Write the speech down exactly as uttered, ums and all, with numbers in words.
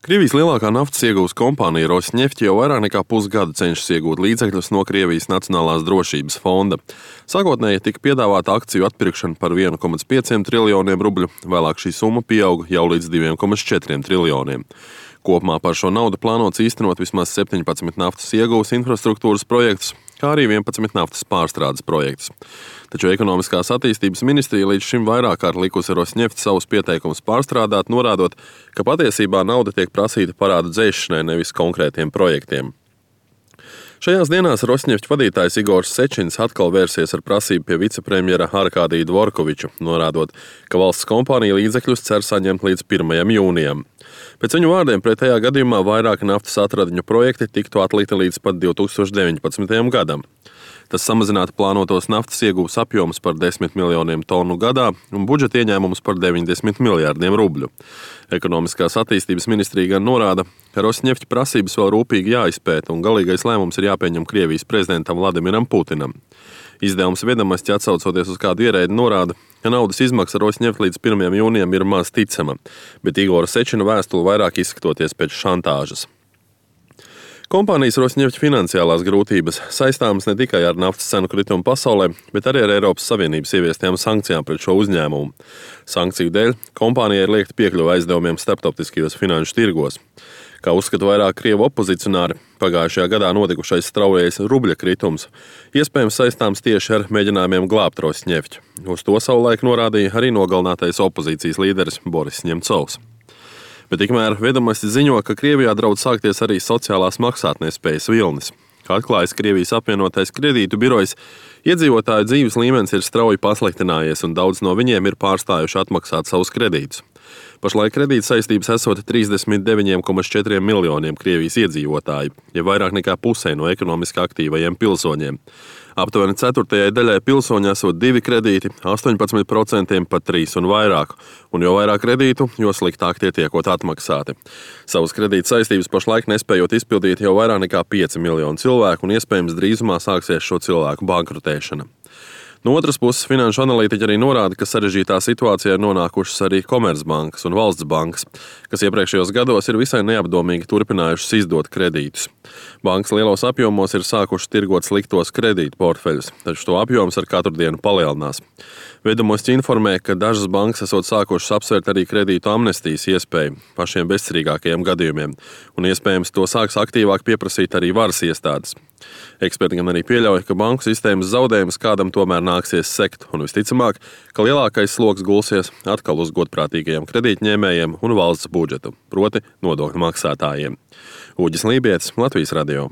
Krievijas lielākā naftas ieguves kompānija Rosneft jau vairāk nekā pusgadu cenšas iegūt līdzekļus no Krievijas Nacionālās drošības fonda. Sākotnēji tika piedāvāta akciju atpirkšana par vienu komats pieciem triljoniem rubļu, vēlāk šī summa pieauga jau līdz diviem komats četriem triljoniem. Kopumā par šo naudu plānots īstenot vismaz septiņpadsmit naftas ieguves infrastruktūras projektus, kā arī vienpadsmit naftas pārstrādes projektus. Taču ekonomiskās attīstības ministrija līdz šim vairāk kārt likusi Rosneft savus pieteikumus pārstrādāt, norādot, ka patiesībā nauda tiek prasīta parādu dzēšanai, nevis konkrētiem projektiem. Šajās dienās Rosneft vadītājs Igors Sečins atkal vērsies ar prasību pie vicepremjera Arkādija Dvorkoviča, norādot, ka valsts kompānija līdzekļus cer saņemt līdz pirmajam jūnijam. Pēc viņu vārdiem pretējā gadījumā vairāki naftas atradiņu projekti tiktu atlikti līdz pat divi tūkstoši deviņpadsmitajam gadam. Tas samazinātu plānotos naftas ieguves apjomus par desmit miljoniem tonu gadā un budžeta ieņēmumus par deviņdesmit miljārdiem rubļu. Ekonomiskās attīstības ministrija gan norāda, ka Rosneft prasības vēl rūpīgi jāizpēta un galīgais lēmums ir jāpieņem Krievijas prezidentam Vladimiram Putinam. Izdevums Viedamasķi, atsaucoties uz kādu ierēdi, norāda, ka naudas izmaksa Rosneft līdz pirmajam jūnijam ir maz ticama, bet Igora Sečina vēstule vairāk izskatoties pēc šantāžas. Kompānijas Rosneft finansiālās grūtības saistāmas ne tikai ar naftas cenu kritumu pasaulē, bet arī ar Eiropas Savienības ieviestajām sankcijām pret šo uzņēmumu. Sankciju dēļ kompānijai ir liekta piekļuva aizdevumiem starptautiskajos finanšu tirgos. Kā uzskata vairāk krievu opozicionāri, pagājušajā gadā notikušais straujais rubļa kritums iespējams saistāms tieši ar mēģinājumiem glābt Rosneft. Uz to savulaik norādīja arī nogalinātais opozīcijas līderis Boris Ņemcovs. Bet tikmēr Viedamasķi ziņo, ka Krievijā draudz sākties arī sociālās maksātnespējas vilnis. Kā atklājas Krievijas apvienotais kredītu birojs, iedzīvotāju dzīves līmenis ir strauji pasliktinājies un daudz no viņiem ir pārstājuši atmaksāt savus kredītus. Pašlaik kredīta saistības esot trīsdesmit deviņi komats četri miljoniem Krievijas iedzīvotāju, ja vairāk nekā pusē no ekonomiski aktīvajiem pilsoņiem. Aptuveni ceturtajai daļai pilsoņu esot divi kredīti, astoņpadsmit procenti pat trīs un vairāk, un jo vairāk kredītu, jo sliktāk tie tiekot atmaksāti. Savas kredīta saistības pašlaik nespējot izpildīt jau vairāk nekā pieci miljoni cilvēku, un iespējams drīzumā sāksies šo cilvēku bankrotēšana. No otras puses, finanšu analītiķi arī norāda, ka sarežģītā situācijā ir nonākušas arī Komercbankas un Valsts bankas, kas iepriekšējos gados ir visai neapdomīgi turpinājušas izdot kredītus. Bankas lielos apjomos ir sākušas tirgot sliktos kredītu portfeļus, taču to apjoms ar katru dienu palielinās. Viedamasķi informē, ka dažas bankas esot sākušas apsvērt arī kredītu amnestijas iespēju pašiem bezcerīgākajiem gadījumiem, un iespējams to sāks aktīvāk pieprasīt arī varas iestādes. Eksperti gan arī pieļauj, ka banku sistēmas zaudējumus kādam tomēr nāksies sekt, un visticamāk, ka lielākais sloks gulsies atkal uz godprātīgajiem kredītņēmējiem un valsts budžetu, proti nodokļu maksātājiem. Uģis Lībietis, Latvijas radio.